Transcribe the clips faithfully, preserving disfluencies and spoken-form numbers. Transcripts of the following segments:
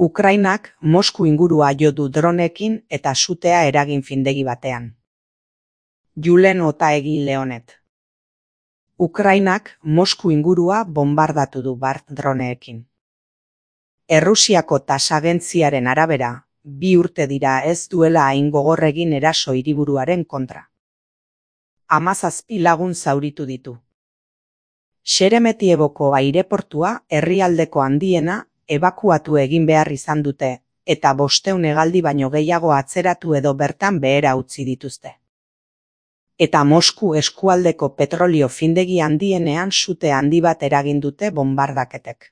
Ukrainak Mosku ingurua jo du droneekin eta sutea eragin findegi batean. Julen Otaegi Leonet. Ukrainak Mosku ingurua bombardatu du bart droneekin. Errusiako tasagentziaren arabera, bi urte dira ez duela hain gogor egin eraso hiriburuaren kontra. Hamazazpi lagun zauritu ditu. Xeremetieboko aireportua herrialdeko handiena ebakuatu egin behar izan dute, eta bosteun hegaldi baino gehiago atzeratu edo bertan behera utzi dituzte. Eta Mosku eskualdeko petrolio findegi handienean sute handi bat eragin dute bombardaketek.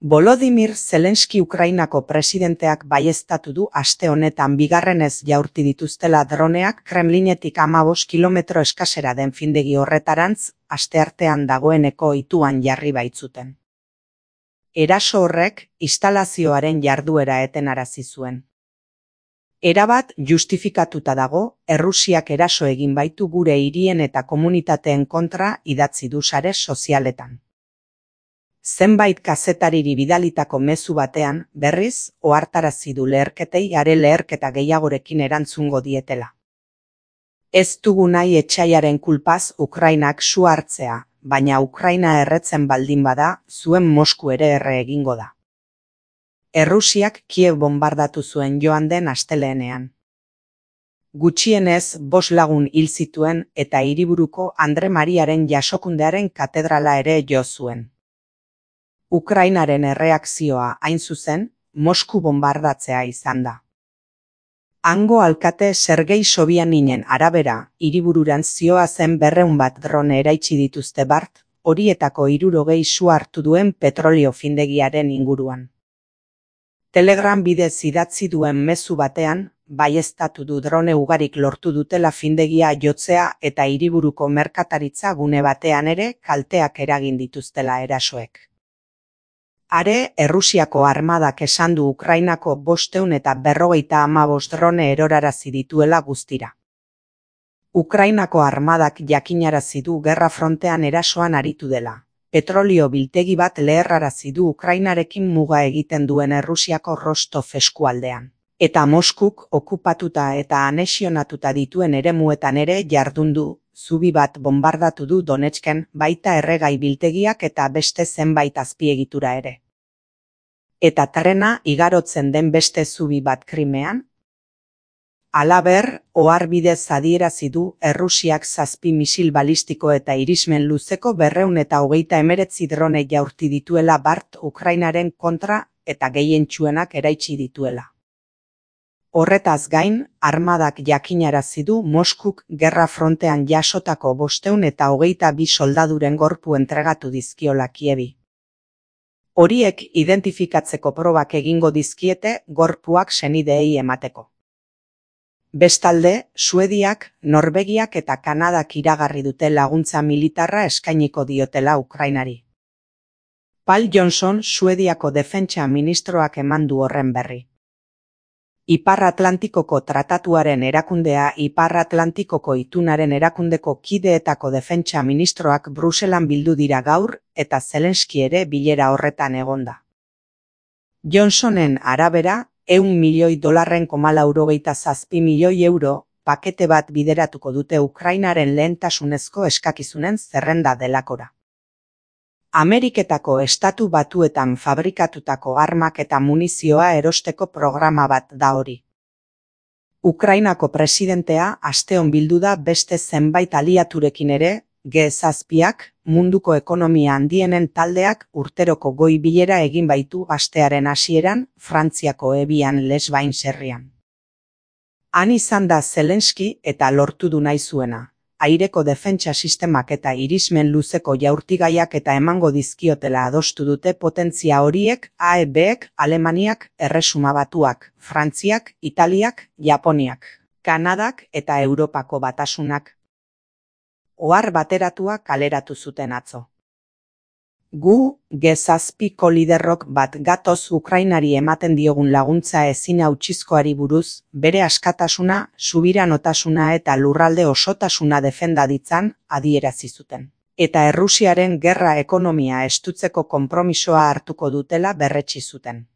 Volodymyr Zelensky Ukrainako presidenteak baieztatu du aste honetan bigarrenez jaurti dituztela droneak Kremlinetik hamabost kilometro eskasera den findegi horretarantz, asteartean dagoeneko ituan jarri baitzuten. Eraso horrek instalazioaren jarduera etenarazi zuen. Erabat justifikatuta dago, Errusiak eraso egin baitu gure hirien eta komunitateen kontra idatzi du sare sozialetan. Zenbait kazetariri bidalitako mezu batean, berriz, ohartarazi du leherketei are leherketa gehiagorekin erantzungo dietela. Ez dugu nahi etsaiaren kulpaz Ukrainak su hartzea, baina Ukraina erretzen baldin bada, zuen Mosku ere erre egingo da. Errusiak Kiev bombardatu zuen joan den asteleenean. Gutxienez bost lagun hil zituen eta hiriburuko Andre Mariaren jasokundearen katedrala ere jo zuen. Ukrainaren erreakzioa hain zuzen, Mosku bombardatzea izan da. Hango alkate Sergei Sobyaninen arabera, hiribururan zioazen berrehun bat drone eraitsi dituzte bart, horietako hirurogei su hartu duen petrolio findegiaren inguruan. Telegram bidez idatzi duen mezu batean, baieztatu du drone ugarik lortu dutela findegia jotzea eta hiriburuko merkataritza gune batean ere kalteak eragin dituztela erasoek. Are, Errusiako armadak esan du Ukrainako bosteun eta berrogeita hamabost drone erorarazi dituela guztira. Ukrainako armadak jakinarazi du gerra frontean erasoan aritu dela. Petrolio biltegi bat leherrarazi du Ukrainarekin muga egiten duen Errusiako Rostov eskualdean. Eta Moskuk okupatuta eta anexionatuta dituen eremuetan ere jardun du, zubi bat bombardatu du Donetsken, baita erregai biltegiak eta beste zenbait azpiegitura ere. Eta trena igarotzen den beste zubi bat Krimean? Halaber, oharbidez adierazi du Errusiak zazpi misil balistiko eta irismen luzeko berrehun eta hogeita hemeretzi drone jaurti dituela bart Ukrainaren kontra eta gehientsuenak eraitsi dituela. Horretaz gain, armadak jakinarazi du Moskuk gerra frontean jasotako bosteun eta hogeita bi soldaduren gorpu entregatu dizkiola Kievi. Horiek identifikatzeko probak egingo dizkiete gorpuak senideei emateko. Bestalde, Suediak, Norvegiak eta Kanadak iragarri dute laguntza militarra eskainiko diotela Ukrainari. Paul Johnson, Suediako defentsa ministroak eman du horren berri. Ipar Atlantikoko tratatuaren erakundea Ipar Atlantikoko itunaren erakundeko kideetako defentsa ministroak Bruselan bildu dira gaur eta Zelensky ere bilera horretan egonda. Johnsonen arabera, ehun milioi dolarren koma laurogeita zazpi milioi euro, pakete bat bideratuko dute Ukrainaren lehentasunezko eskakizunen zerrenda delakora. Ameriketako estatu batuetan fabrikatutako armak eta munizioa erosteko programa bat da hori. Ukrainako presidentea asteon bildu da beste zenbait aliaturekin ere, G zazpiak, munduko ekonomia handienen taldeak urteroko goi bilera egin baitu astearen hasieran, Frantziako Ebian Les Bains herrian. Han izan da Zelensky eta lortu du nahi zuena. Aireko defentsa sistemak eta irismen luzeko jaurtigaiak eta emango dizkiotela adostu dute potentzia horiek A E Bek, Alemaniak, Erresuma Batuak, Frantziak, Italiak, Japoniak, Kanadak eta Europako Batasunak. Ohar bateratua kaleratu zuten atzo. Gu, G zazpiko liderrok bat gatoz Ukrainari ematen diogun laguntza ezin hautsizkoari buruz, bere askatasuna, subiranotasuna eta lurralde osotasuna defenda ditzan, adierazi zuten. Eta Errusiaren gerra ekonomia estutzeko konpromisoa hartuko dutela berretsi zuten.